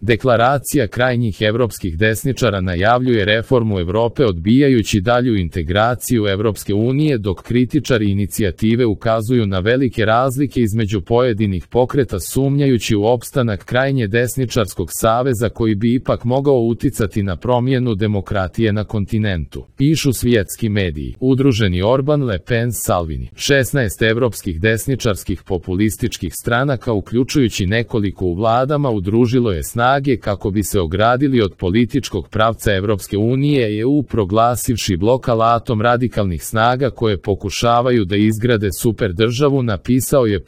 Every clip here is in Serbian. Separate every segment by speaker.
Speaker 1: Deklaracija krajnjih evropskih desničara najavljuje reformu Evrope odbijajući dalju integraciju Evropske unije, dok kritičari inicijative ukazuju na velike razlike između pojedinih pokreta sumnjajući u opstanak krajnje desničarskog saveza koji bi ipak mogao uticati na promjenu demokratije na kontinentu. Pišu svjetski mediji. Udruženi Orban, Le Pen, Salvini. 16 evropskih desničarskih populističkih stranaka, uključujući nekoliko u vladama, udružilo je snage kako bi se ogradili od političkog pravca Evropske unije i EU, proglasivši blok alatom radikalnih snaga koje pokušavaju da izgrade super državu, napisao je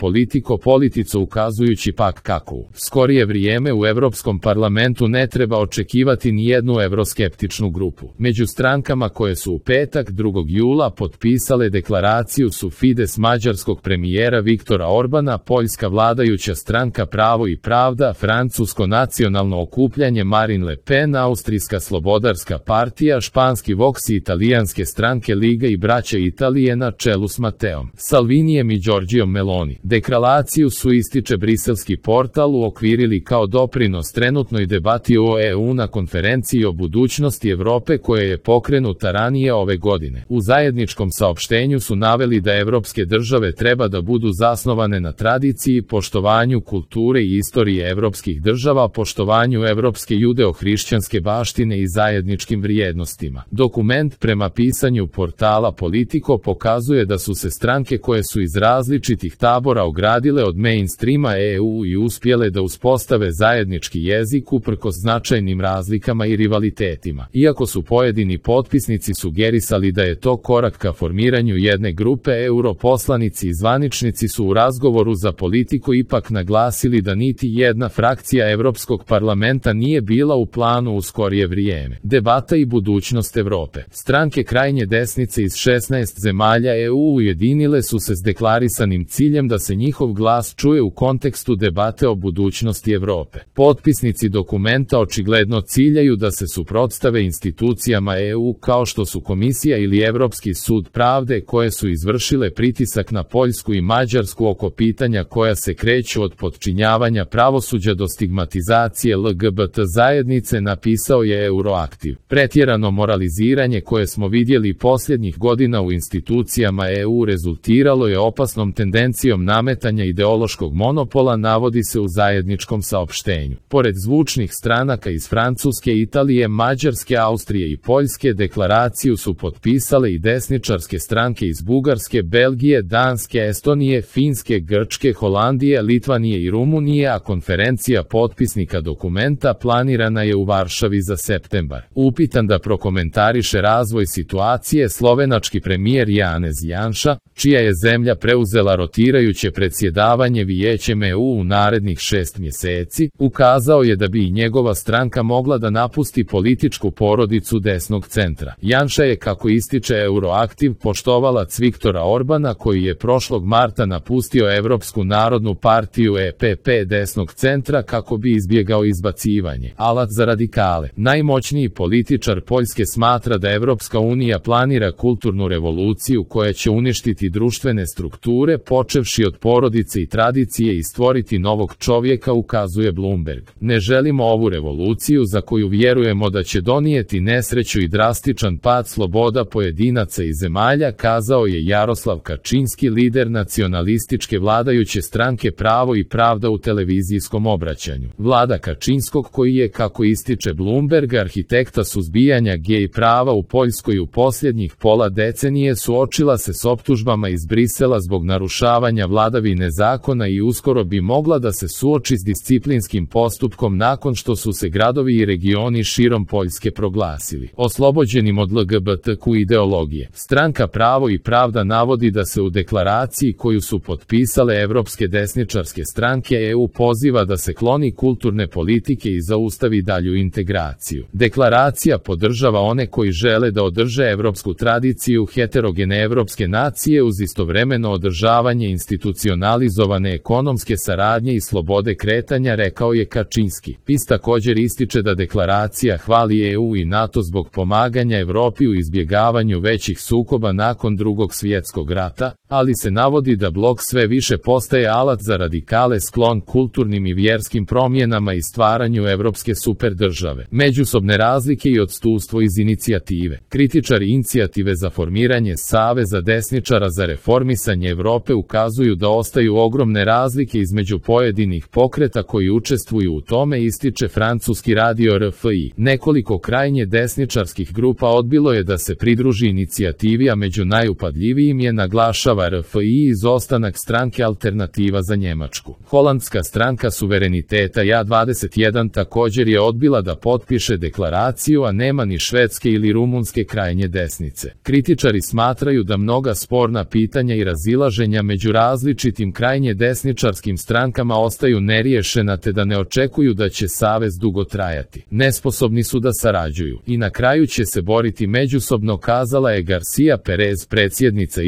Speaker 1: Politico ukazujući pak kako u skorije vrijeme u Evropskom parlamentu ne treba očekivati ni jednu evroskeptičnu grupu. Među strankama koje su u petak 2. jula potpisale deklaraciju su Fides mađarskog premijera Viktora Orbana, poljska vladajuća stranka Pravo i pravda, francusko nacionalno okupljanje Marine Le Pen, austrijska slobodarska partija, španski Vox i italijanske stranke Liga i braća Italije na čelu s Mateom Salvinijem i Giorgiom Meloni. Deklaraciju su, ističe briselski portal, uokvirili kao doprinos trenutnoj debati o EU na konferenciji o budućnosti Evrope koja je pokrenuta ranije ove godine. U zajedničkom saopštenju su naveli da evropske države treba da budu zasnovane na tradiciji, poštovanju kulture i istorije evropskih država, poštovanju evropske judeo-hrišćanske baštine i zajedničkim vrijednostima. Dokument, prema pisanju portala Politico, pokazuje da su se stranke koje su iz različitih tabora ogradile od mainstreama EU i uspjele da uspostave zajednički jezik uprkos značajnim razlikama i rivalitetima. Iako su pojedini potpisnici sugerisali da je to korak ka formiranju jedne grupe, europoslanici i zvaničnici su u razgovoru za Politico ipak naglasili da niti jedna frakcija Evropskog parlamenta nije bila u planu u skorije vrijeme. Debata i budućnost Evrope. Stranke krajnje desnice iz 16 zemalja EU ujedinile su se s deklarisanim ciljem da se njihov glas čuje u kontekstu debate o budućnosti Evrope. Potpisnici dokumenta očigledno ciljaju da se suprotstave institucijama EU kao što su Komisija ili Evropski sud pravde, koje su izvršile pritisak na Poljsku i Mađarsku oko pitanja koja se kreću od potčinjavanja pravosuđa do stigmatizacije LGBT zajednice, napisao je Euroaktiv. Pretjerano moraliziranje koje smo vidjeli posljednjih godina u institucijama EU rezultiralo je opasnom tendencijom nametanja ideološkog monopola, navodi se u zajedničkom saopštenju. Pored zvučnih stranaka iz Francuske, Italije, Mađarske, Austrije i Poljske, deklaraciju su potpisale i desničarske stranke iz Bugarske, Belgije, Danske, Estonije, Finske, Grčke, Holandije, Litvanije i Rumunije, a konferencija potpisnika dokumenta planirana je u Varšavi za septembar. Upitan da prokomentariše razvoj situacije, slovenački premijer Janez Janša, čija je zemlja preuzela rotirajuće predsjedavanje Vijećem EU u narednih 6 mjeseci, ukazao je da bi i njegova stranka mogla da napusti političku porodicu desnog centra. Janša je, kako ističe Euroaktiv, poštovalac Viktora Orbana, koji je prošlog marta napustio Evropsku narodnu partiju EPP desnog centra kako bi izbjegao izbacivanje. Alat za radikale. Najmoćniji političar Poljske smatra da Evropska unija planira kulturnu revoluciju koja će uništiti društvene strukture, počevši od porodice i tradicije, i stvoriti novog čovjeka, ukazuje Bloomberg. Ne želimo ovu revoluciju za koju vjerujemo da će donijeti nesreću i drastičan pad sloboda pojedinaca i zemalja, kazao je Jaroslav Kačinski, lider nacionalističke vladajuće stranke Pravo i pravda u televizijskom obraćanju. Vlada Kačinskog, koji je, kako ističe Bloomberg, arhitekta suzbijanja gej prava u Poljskoj, u posljednjih pola decenije suočila se s optužbama iz Brisela zbog narušavanja vladavine zakona i uskoro bi mogla da se suoči s disciplinskim postupkom nakon što su se gradovi i regioni širom Poljske proglasili oslobođenim od LGBTQ ideologije. Stranka Pravo i pravda navodi da se u deklaraciji koju su potpisale evropske desničarske stranke EU poziva da se kloni kulturne politike i zaustavi dalju integraciju. Deklaracija podržava one koji žele da održe evropsku tradiciju heterogene evropske nacije uz istovremeno održavanje institucionalizovane ekonomske saradnje i slobode kretanja, rekao je Kačinski. PIS također ističe da deklaracija hvali EU i NATO zbog pomaganja Evropi u izbjegavanju većih sukoba nakon Drugog svjetskog rata, ali se navodi da blok sve više postaje alat za radikale sklon kulturnim i vjerskim promjenama i stvaranju evropske superdržave. Međusobne razlike i odstupstvo iz inicijative. Kritičari inicijative za formiranje Saveza desničara za reformisanje Evrope ukazuju da ostaju ogromne razlike između pojedinih pokreta koji učestvuju u tome, ističe francuski radio RFI. Nekoliko krajnje desničarskih grupa odbilo je da se pridruži inicijativi, a među najupadljivijim je, naglašava RFI, izostanak stranke Alternativa za Njemačku. Holandska stranka suvereniteta Ja21 također je odbila da potpiše deklaraciju, a nema ni švedske ili rumunske krajnje desnice. Kritičari smatraju da mnoga sporna pitanja i razilaženja među različitim krajnje desničarskim strankama ostaju neriješena, te da ne očekuju da će savez dugo trajati. Nesposobni su da sarađuju i na kraju će se boriti međusobno, kazala je Garcia Perez, predsjednica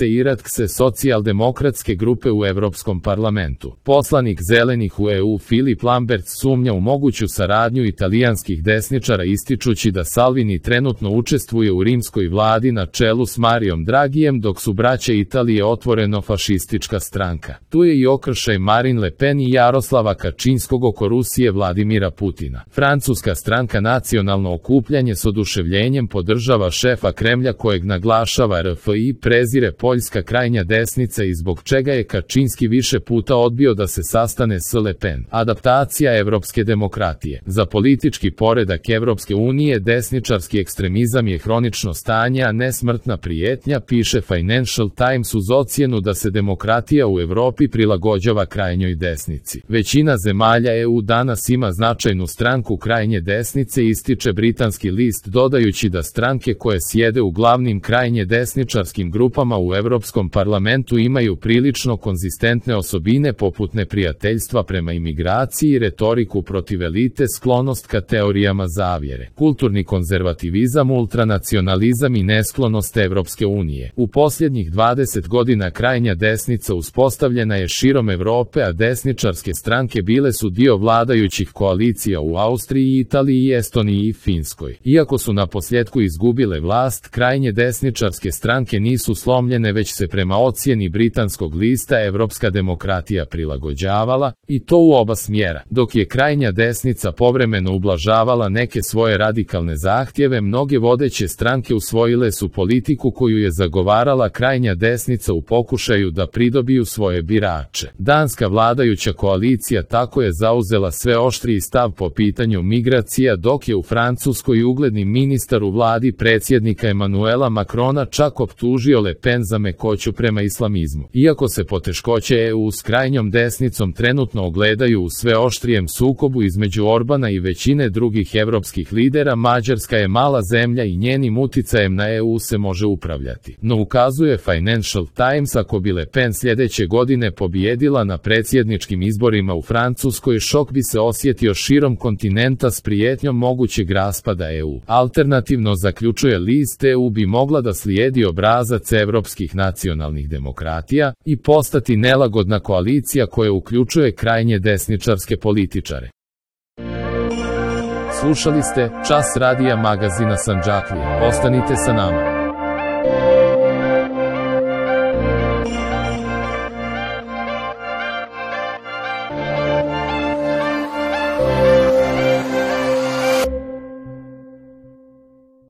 Speaker 1: Iratkse socijaldemokratske grupe u Evropskom parlamentu. Poslanik Zelenih u EU Filip Lamberts sumnja u moguću saradnju italijanskih desničara, ističući da Salvini trenutno učestvuje u rimskoj vladi na čelu s Marijom Dragijem, dok su braće Italije otvoreno fašistička stranka. Tu je i okršaj Marine Le Pen i Jaroslava Kačinskog oko Rusije Vladimira Putina. Francuska stranka Nacionalno okupljanje s oduševljenjem podržava šefa Kremlja, kojeg, naglašava RFI, prezire poljska krajnja desnica i zbog čega je Kačinski više puta odbio da se sastane s Le Pen. Adaptacija evropske demokratije. Za politički poredak Evropske unije desničarski ekstremizam je hronično stanje, a ne smrtna prijetnja, piše Financial Times uz ocjenu da se demokratija u Evropi prilagođava krajnjoj desnici. Većina zemalja EU danas ima značajnu stranku krajnje desnice, ističe britanski list, dodajući da stranke koje sjede u glavnim krajnje desničarskim grupama u Evropskom parlamentu imaju prilično konzistentne osobine poput neprijateljstva prema imigraciji, retoriku protiv elite, sklonost ka teorijama zavjere, kulturni konzervativizam, ultranacionalizam i nesklonost Evropske unije. U posljednjih 20 godina krajnja desnica uspostavljena je širom Evrope, a desničarske stranke bile su dio vladajućih koalicija u Austriji, Italiji, Estoniji i Finskoj. Iako su na posljedku izgubile vlast, krajnje desničarske stranke nisu slomljene, već se prema ocjeni britanskog lista evropska demokratija prilagođavala, i to u oba smjera. Dok je krajnja desnica povremeno ublažavala neke svoje radikalne zahtjeve, mnoge vodeće stranke usvojile su politiku koju je zagovarala krajnja desnica u pokušaju da pridobiju svoje birače. Danska vladajuća koalicija tako je zauzela sve oštriji stav po pitanju migracija, dok je u Francuskoj ugledni ministar u vladi predsjednika Emanuela Macrona čak optužio Le Pen za mekoću prema islamizmu. Iako se poteškoće EU s krajnjom desnicom trenutno ogledaju u sve oštrijem sukobu između Orbana i većine drugih evropskih lidera, Mađarska je mala zemlja i njenim uticajem na EU se može upravljati. No, ukazuje Financial Times, ako bi Le Pen sljedeće godine pobijedila na predsjedničkim izborima u Francuskoj, šok bi se osjetio širom kontinenta s prijetnjom mogućeg raspada EU. Alternativno, zaključuje list, EU bi mogla da slijedi obrazac evropskih nacionalnih demokratija i postati nelagodna koalicija koja uključuje krajnje desničarske političare. Slušali ste Čas radija magazina Sandžaklija. Ostanite sa nama.